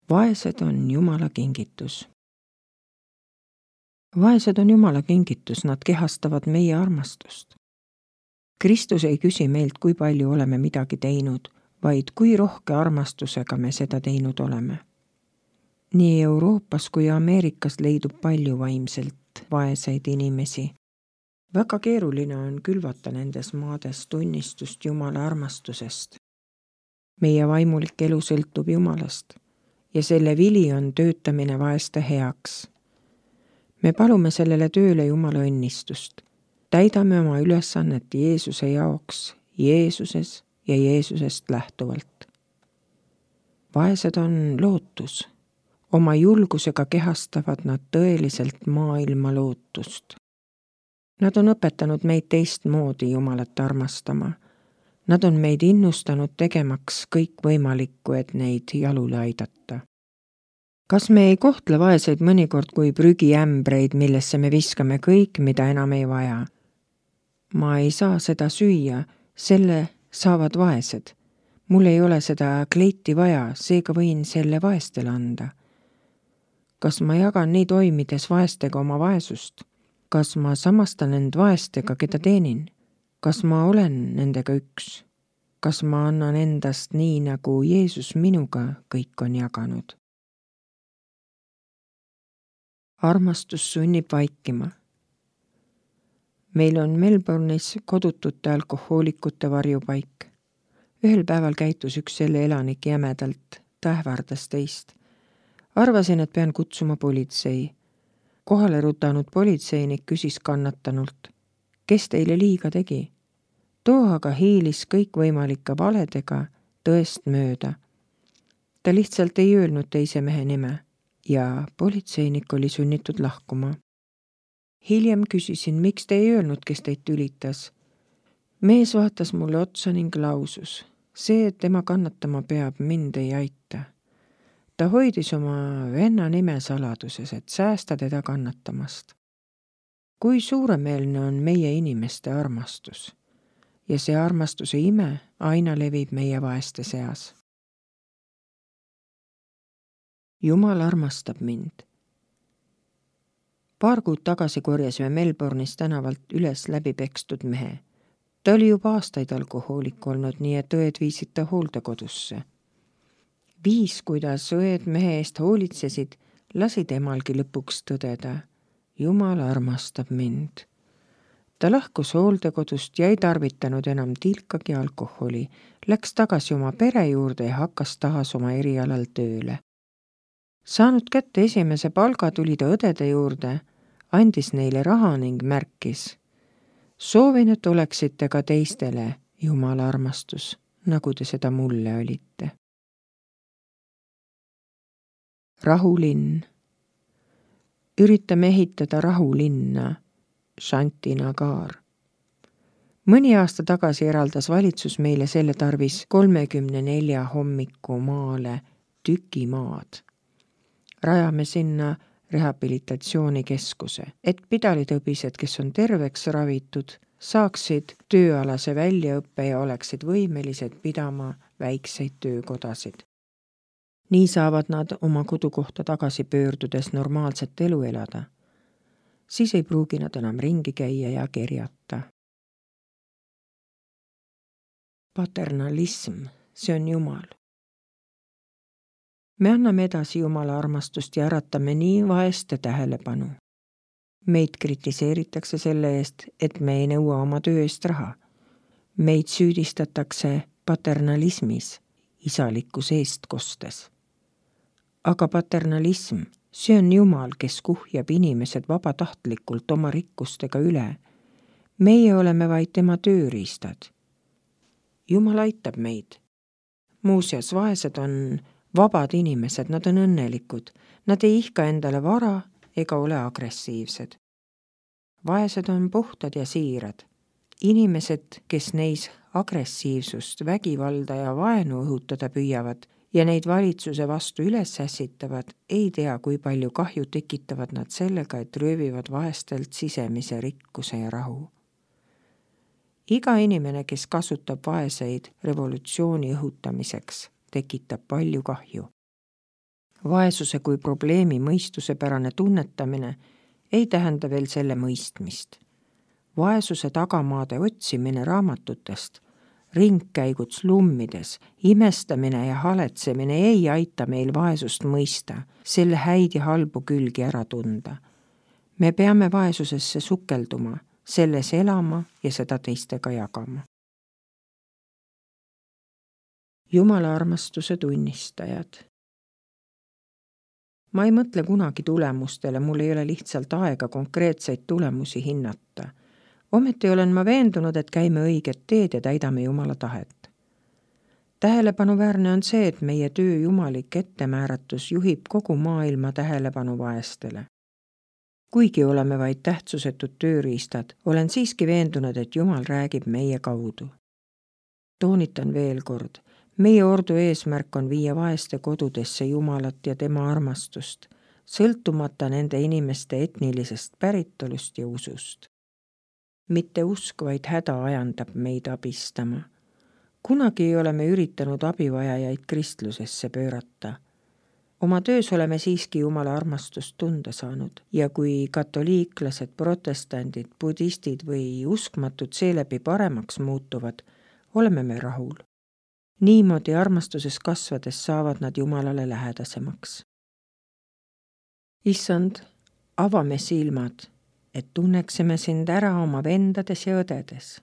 Vaesed on Jumala kingitus. Vaesed on Jumala kingitus, nad kehastavad meie armastust. Kristus ei küsi meilt, kui palju oleme midagi teinud, vaid kui rohke armastusega me seda teinud oleme. Nii Euroopas kui Ameerikas leidub palju vaimselt vaeseid inimesi. Väga keeruline on külvata nendes maades tunnistust Jumala armastusest. Meie vaimulik elu sõltub Jumalast ja selle vili on töötamine vaeste heaks. Me palume sellele tööle Jumala õnnistust. Täidame oma ülesannet Jeesuse jaoks, Jeesuses ja Jeesusest lähtuvalt. Vaesed on lootus. Oma julgusega kehastavad nad tõeliselt maailma lootust. Nad on õpetanud meid teistmoodi Jumalat armastama. Nad on meid innustanud tegemaks kõik võimalikku, et neid jalule aidata. Kas me ei kohtle vaeseid mõnikord kui prügiämbreid, millesse me viskame kõik, mida enam ei vaja? Ma ei saa seda süüa, selle saavad vaesed. Mul ei ole seda kleiti vaja, seega võin selle vaestele anda. Kas ma jagan nii toimides vaestega oma vaesust? Kas ma samastan end vaestega, keda teenin? Kas ma olen nendega üks? Kas ma annan endast nii, nagu Jeesus minuga kõik on jaganud? Armastus sunnib vaikima. Meil on Melbourne'is kodutute alkohoolikute varjupaik. Ühel päeval käitus üks selle elanik jämedalt, ta ähvardas teist. Arvasin, et pean kutsuma politsei. Kohale rutanud politseinik küsis kannatanult, kes teile liiga tegi? Too aga hiilis kõikvõimalike valedega tõest mööda. Ta lihtsalt ei öelnud teise mehe nime ja politseinik oli sunnitud lahkuma. Hiljem küsisin, miks te ei öelnud, kes teid tülitas. Mees vaatas mulle otsa ning lausus, see, et tema kannatama peab, mind ei aita. Ta hoidis oma venna nime saladuses, et säästa teda kannatamast. Kui suuremeelne on meie inimeste armastus ja see armastuse ime aina levib meie vaeste seas. Jumal armastab mind. Paar kuud tagasi korjasime Melbourne'is tänavalt üles läbipekstud mehe. Ta oli juba aastaid alkohoolik olnud, nii et õed viisid ta hooldekodusse. Viis, kuidas õed mehe eest hoolitsesid, lasi temalgi lõpuks tõdeda. Jumal armastab mind. Ta lahkus hooldekodust ja ei tarvitanud enam tilkagi alkoholi, läks tagasi oma pere juurde ja hakkas taas oma erialal tööle. Saanud kätte esimese palga, tuli ta õdede juurde, andis neile raha ning märkis. Soovin, et oleksite ka teistele Jumala armastus, nagu te seda mulle olite. Rahulinn. Üritame ehitada rahulinna, Shantinagar. Mõni aasta tagasi eraldas valitsus meile selle tarvis 34 hommiku maale tüki maad. Rajame sinna rehabilitatsioonikeskuse, et pidalitõbised, kes on terveks ravitud, saaksid tööalase väljaõppe ja oleksid võimelised pidama väikseid töökodasid. Nii saavad nad oma kodukohta tagasi pöördudes normaalset elu elada. Siis ei pruugi nad enam ringi käia ja kerjata. Paternalism, see on Jumal. Me anname edasi Jumala armastust ja äratame nii vaeste tähelepanu. Meid kritiseeritakse selle eest, et me ei nõua oma töö eest raha. Meid süüdistatakse paternalismis, isalikus eestkostes. Aga paternalism, see on Jumal, kes kuhjab inimesed vabatahtlikult oma rikkustega üle. Meie oleme vaid tema tööriistad. Jumal aitab meid. Muuseas, vaesed on vabad inimesed, nad on õnnelikud. Nad ei ihka endale vara ega ole agressiivsed. Vaesed on puhtad ja siirad. Inimesed, kes neis agressiivsust, vägivalda ja vaenu õhutada püüavad ja neid valitsuse vastu üles ässitavad, ei tea, kui palju kahju tekitavad nad sellega, et röövivad vaestelt sisemise rikkuse ja rahu. Iga inimene, kes kasutab vaeseid revolutsiooni õhutamiseks, tekitab palju kahju. Vaesuse kui probleemi mõistusepärane tunnetamine ei tähenda veel selle mõistmist. Vaesuse tagamaade otsimine raamatutest, ringkäigud slummides, imestamine ja haletsemine ei aita meil vaesust mõista, selle häid ja halbu külgi ära tunda. Me peame vaesusesse sukelduma, selles elama ja seda teistega jagama. Jumala armastuse tunnistajad. Ma ei mõtle kunagi tulemustele, mul ei ole lihtsalt aega konkreetseid tulemusi hinnata. Ometi olen ma veendunud, et käime õiget teed ja täidame Jumala tahet. Tähelepanuväärne on see, et meie töö jumalik ettemääratus juhib kogu maailma tähelepanu vaestele. Kuigi oleme vaid tähtsusetud tööriistad, olen siiski veendunud, et Jumal räägib meie kaudu. Toonitan veel kord, meie ordu eesmärk on viia vaeste kodudesse Jumalat ja tema armastust, sõltumata nende inimeste etnilisest päritolust ja usust. Mitte usk, vaid häda ajandab meid abistama. Kunagi ei ole me üritanud abivajajaid kristlusesse pöörata. Oma töös oleme siiski Jumala armastust tunda saanud ja kui katoliiklased, protestandid, budistid või uskmatud seeläbi paremaks muutuvad, oleme me rahul. Niimoodi armastuses kasvades saavad nad Jumalale lähedasemaks. Issand, avame silmad, et tunneksime sind ära oma vendades ja õdedes.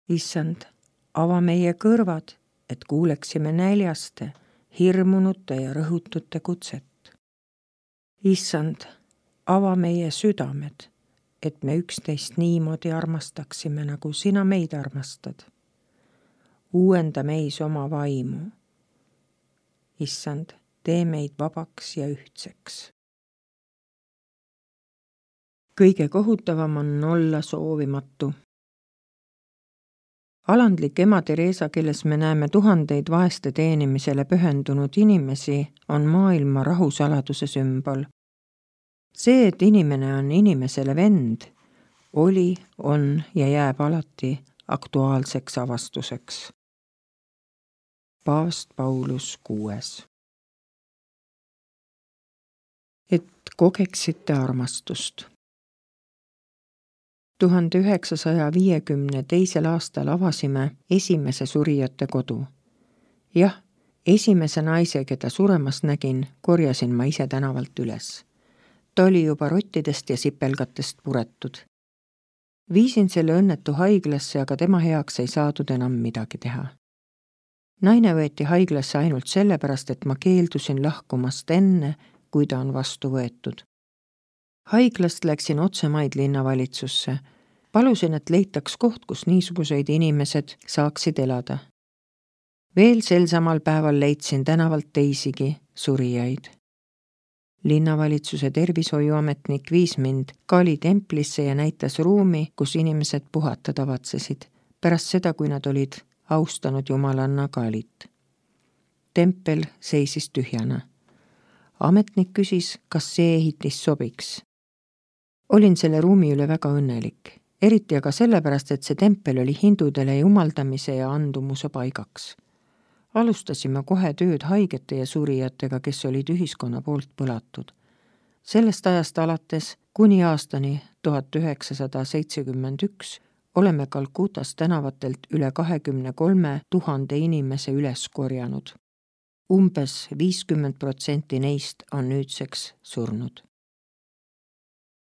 Issand, ava meie kõrvad, et kuuleksime näljaste, hirmunute ja rõhutute kutset. Issand, ava meie südamed, et me üksteist niimoodi armastaksime, nagu sina meid armastad. Uuenda meis oma vaimu. Issand, tee meid vabaks ja ühtseks. Kõige kohutavam on olla soovimatu. Alandlik ema Teresa, kelles me näeme tuhandeid vaeste teenimisele pühendunud inimesi, on maailma rahusaladuse sümbol. See, et inimene on inimesele vend, oli, on ja jääb alati aktuaalseks avastuseks. Paavst Paulus 6. Et kogeksite armastust. 1952. aastal avasime esimese surijate kodu. Jah, esimese naise, keda suremas nägin, korjasin ma ise tänavalt üles. Ta oli juba rottidest ja sipelgatest puretud. Viisin selle õnnetu haiglasse, aga tema heaks ei saadud enam midagi teha. Naine võeti haiglasse ainult sellepärast, et ma keeldusin lahkumast enne, kui ta on vastu võetud. Haiglast läksin otsemaid linnavalitsusse. Palusin, et leitaks koht, kus niisuguseid inimesed saaksid elada. Veel sel samal päeval leidsin tänavalt teisigi surijaid. Linnavalitsuse tervishoiuametnik viis mind Kali templisse ja näitas ruumi, kus inimesed puhata tavatsesid, pärast seda, kui nad olid austanud Jumalanna Kalit. Tempel seisis tühjana. Ametnik küsis, kas see ehitis sobiks. Olin selle ruumi üle väga õnnelik, eriti aga sellepärast, et see tempel oli hindudele jumaldamise ja andumuse paigaks. Alustasime kohe tööd haigete ja surijatega, kes olid ühiskonna poolt põlatud. Sellest ajast alates kuni aastani 1971 oleme Kalkutas tänavatelt üle 23 000 inimese üles korjanud. Umbes 50% neist on nüüdseks surnud.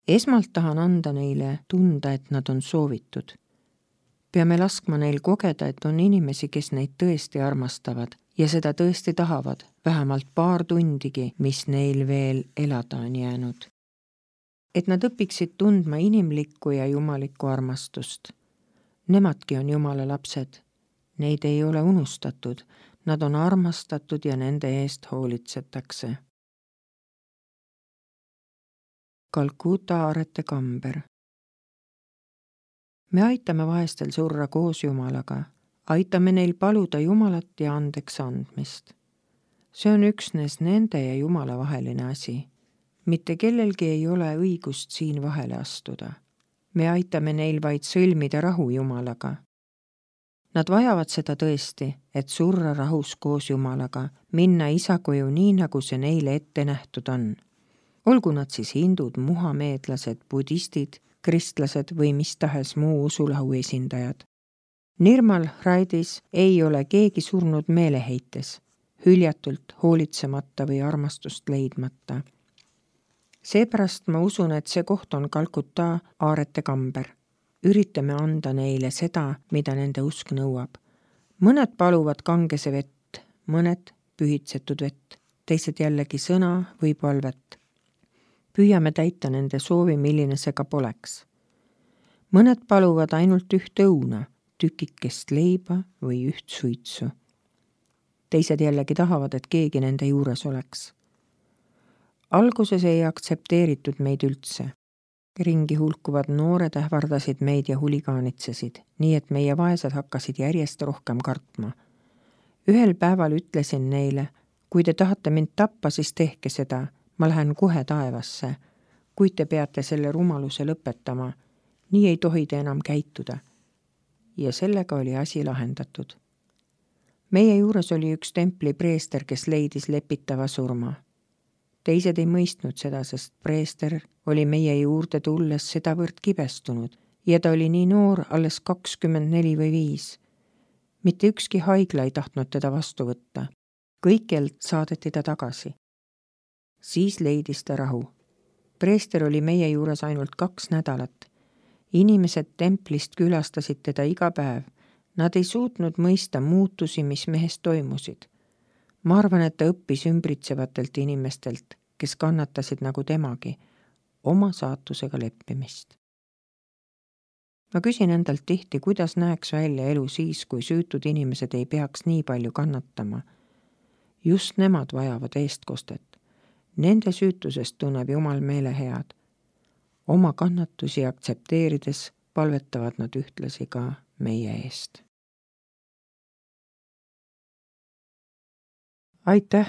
Esmalt tahan anda neile tunda, et nad on soovitud. Peame laskma neil kogeda, et on inimesi, kes neid tõesti armastavad ja seda tõesti tahavad, vähemalt paar tundigi, mis neil veel elada on jäänud. Et nad õpiksid tundma inimlikku ja jumalikku armastust. Nemadki on Jumala lapsed. Neid ei ole unustatud, nad on armastatud ja nende eest hoolitsetakse. Kalkuta aarete kamber. Me aitame vaestel surra koos Jumalaga, aitame neil paluda Jumalat ja andeks andmist. See on üksnes nende ja Jumala vaheline asi. Mitte kellelgi ei ole õigust siin vahele astuda. Me aitame neil vaid sõlmida rahu Jumalaga. Nad vajavad seda tõesti, et surra rahus koos Jumalaga, minna isa koju nii, nagu see neile ette nähtud on. Olgu nad siis hindud, muhameedlased, budistid, kristlased või mis tahes muu usulahu esindajad. Nirmal Raidis ei ole keegi surnud meeleheites, hüljatult, hoolitsemata või armastust leidmata. Seepärast ma usun, et see koht on Kalkuta aarete kamber. Üritame anda neile seda, mida nende usk nõuab. Mõned paluvad kangese vett, mõned pühitsetud vett, teised jällegi sõna või palvet. Püüame täita nende soovi, milline see ka poleks. Mõned paluvad ainult üht õuna, tükikest leiba või üht suitsu. Teised jällegi tahavad, et keegi nende juures oleks. Alguses ei aktsepteeritud meid üldse. Ringi hulkuvad noored ähvardasid meid ja huligaanitsesid, nii et meie vaesed hakkasid järjest rohkem kartma. Ühel päeval ütlesin neile, kui te tahate mind tappa, siis tehke seda, ma lähen kohe taevasse, kuid te peate selle rumaluse lõpetama, nii ei tohi te enam käituda. Ja sellega oli asi lahendatud. Meie juures oli üks templi preester, kes leidis lepitava surma. Teised ei mõistnud seda, sest preester oli meie juurde tulles sedavõrd kibestunud ja ta oli nii noor, alles 24 või 5. Mitte ükski haigla ei tahtnud teda vastu võtta. Kõikjalt saadeti ta tagasi. Siis leidis ta rahu. Preester oli meie juures ainult 2 nädalat. Inimesed templist külastasid teda iga päev. Nad ei suutnud mõista muutusi, mis mehes toimusid. Ma arvan, et ta õppis ümbritsevatelt inimestelt, kes kannatasid nagu temagi, oma saatusega leppimist. Ma küsin endalt tihti, kuidas näeks välja elu siis, kui süütud inimesed ei peaks nii palju kannatama. Just nemad vajavad eestkostet. Nende süütusest tunneb Jumal meele head. Oma kannatusi aktsepteerides palvetavad nad ühtlasi ka meie eest. Aitäh!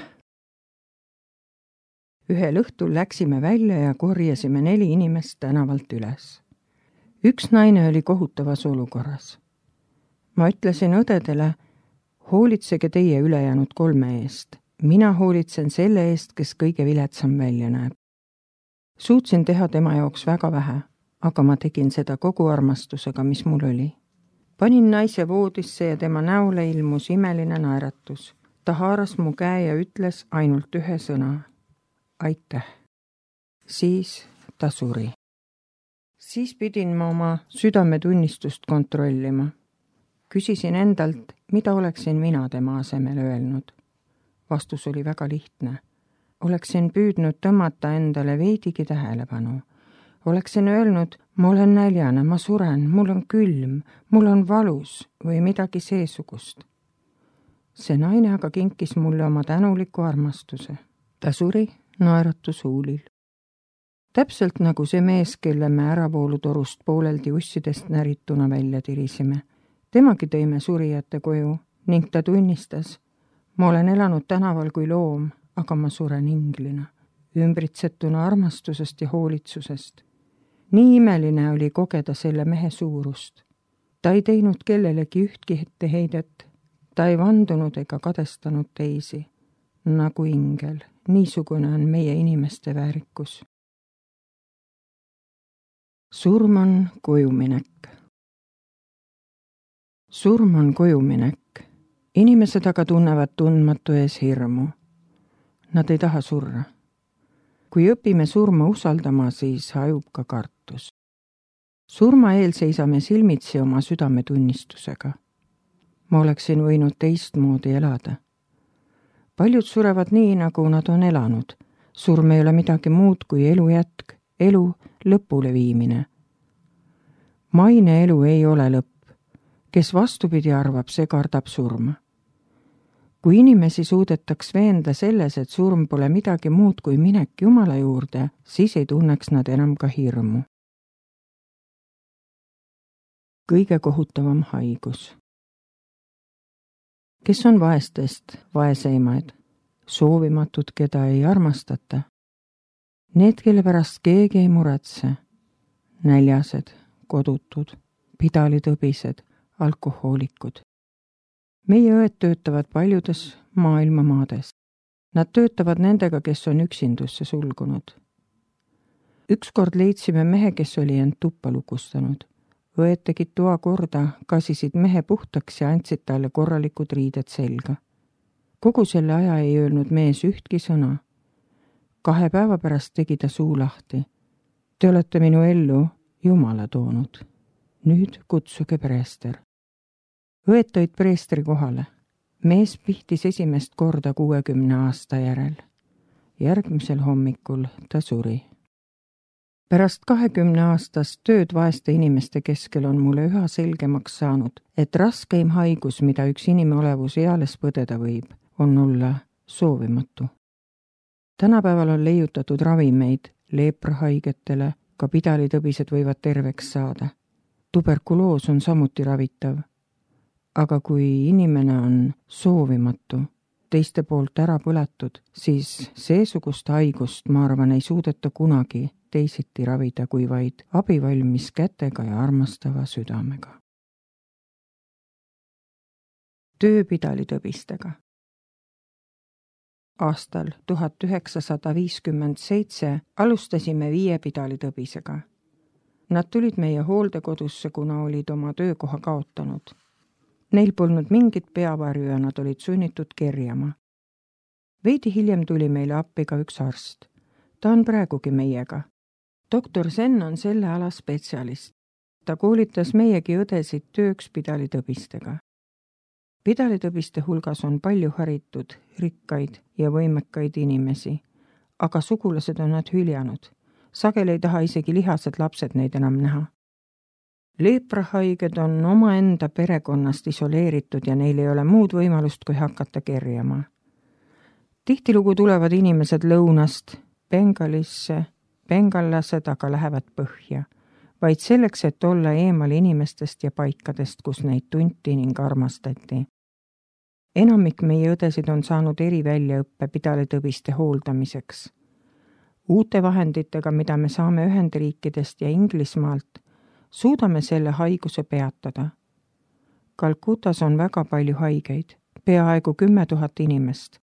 Ühel õhtul läksime välja ja korjasime 4 inimest tänavalt üles. Üks naine oli kohutavas olukorras. Ma ütlesin õdedele, hoolitsege teie ülejäänud 3 eest. Mina hoolitsen selle eest, kes kõige viletsam välja näeb. Suutsin teha tema jaoks väga vähe, aga ma tegin seda kogu armastusega, mis mul oli. Panin naise voodisse ja tema näole ilmus imeline naeratus. Ta haaras mu käe ja ütles ainult 1 sõna. Aitäh. Siis ta suri. Siis pidin ma oma südametunnistust kontrollima. Küsisin endalt, mida oleksin mina tema asemel öelnud. Vastus oli väga lihtne. Oleksin püüdnud tõmmata endale veidigi tähelepanu. Oleksin öelnud, ma olen näljane, ma suren, mul on külm, mul on valus või midagi seesugust. See naine aga kinkis mulle oma tänuliku armastuse. Ta suri naeratus huulil. Täpselt nagu see mees, kelle me äravoolutorust pooleldi ussidest närituna välja tirisime. Temagi tõime surijate koju ning ta tunnistas, ma olen elanud tänaval kui loom, aga ma suren inglina, ümbritsetuna armastusest ja hoolitsusest. Nii imeline oli kogeda selle mehe suurust. Ta ei teinud kellelegi ühtki etteheidet. Ta ei vandunud ega kadestanud teisi. Nagu ingel, niisugune on meie inimeste väärikus. Surm on kojuminek. Surm on kojuminek. Inimesed aga tunnevad tundmatu ees hirmu. Nad ei taha surra. Kui õpime surma usaldama, siis hajub ka kartus. Surma eel seisame silmitsi oma südametunnistusega. Ma oleksin võinud teistmoodi elada. Paljud surevad nii, nagu nad on elanud. Surm ei ole midagi muud kui elu jätk, elu lõpule viimine. Maine elu ei ole lõpp. Kes vastupidi arvab, see kardab surma. Kui inimesi suudetaks veenda selles, et surm pole midagi muud kui minek Jumala juurde, siis ei tunneks nad enam ka hirmu. Kõige kohutavam haigus. Kes on vaestest vaeseimaid, soovimatud, keda ei armastata? Need, kelle pärast keegi ei muretse, näljased, kodutud, pidalitõbised, alkohoolikud. meie õed töötavad paljudes maailma maades. Nad töötavad nendega, kes on üksindusse sulgunud. Ükskord leidsime mehe, kes oli end tuppa lukustanud. Õed tegid toa korda, kasisid mehe puhtaks ja andsid talle korralikud riided selga. Kogu selle aja ei öelnud mees ühtki sõna. 2 päeva pärast tegi ta suu lahti. Te olete minu ellu Jumala toonud. Nüüd kutsuge preester. Õed tõid preestri kohale. Mees pihtis esimest korda 60 aasta järel. Järgmisel hommikul ta suri. Pärast 20 aastast tööd vaeste inimeste keskel on mulle üha selgemaks saanud, et raskeim haigus, mida üks inimolevus eales põdeda võib, on olla soovimatu. Tänapäeval on leiutatud ravimeid leeprahaigetele, ka pidalitõbised võivad terveks saada. Tuberkuloos on samuti ravitav. Aga kui inimene on soovimatu, teiste poolt ära põletud, siis seesugust haigust, ma arvan, ei suudeta kunagi teisiti ravida kui vaid abivalmis kätega ja armastava südamega. Töö pidalitõbistega. Aastal 1957 alustasime 5 pidalitõbisega. Nad tulid meie hooldekodusse, kuna olid oma töökoha kaotanud. Neil polnud mingit peavarju ja nad olid sunnitud kerjama. Veidi hiljem tuli meile appi ka üks arst. Ta on praegugi meiega. Doktor Sen on selle ala spetsialist. Ta koolitas meiegi õdesid tööks pidalitõbistega. Pidalitõbiste hulgas on palju haritud, rikkaid ja võimekaid inimesi, aga sugulased on nad hüljanud. Sageli ei taha isegi lihased lapsed neid enam näha. Leeprahaiged on omaenda perekonnast isoleeritud ja neil ei ole muud võimalust, kui hakata kerjama. Tihtilugu tulevad inimesed lõunast Bengalisse, bengallased aga lähevad põhja, vaid selleks, et olla eemal inimestest ja paikadest, kus neid tunti ning armastati. Enamik meie õdesid on saanud eriväljaõppe pidalitõbiste hooldamiseks. Uute vahenditega, mida me saame Ühendriikidest ja Inglismaalt, suudame selle haiguse peatada. Kalkutas on väga palju haigeid, peaaegu 10 000 inimest.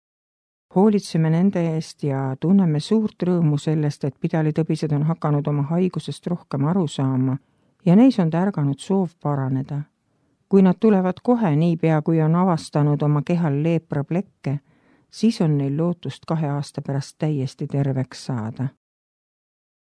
Hoolitseme nende eest ja tunneme suurt rõõmu sellest, et pidalitõbised on hakanud oma haigusest rohkem aru saama ja neis on tärganud soov paraneda. Kui nad tulevad kohe niipea, kui on avastanud oma kehal leepraplekke, siis on neil lootust 2 aasta pärast täiesti terveks saada.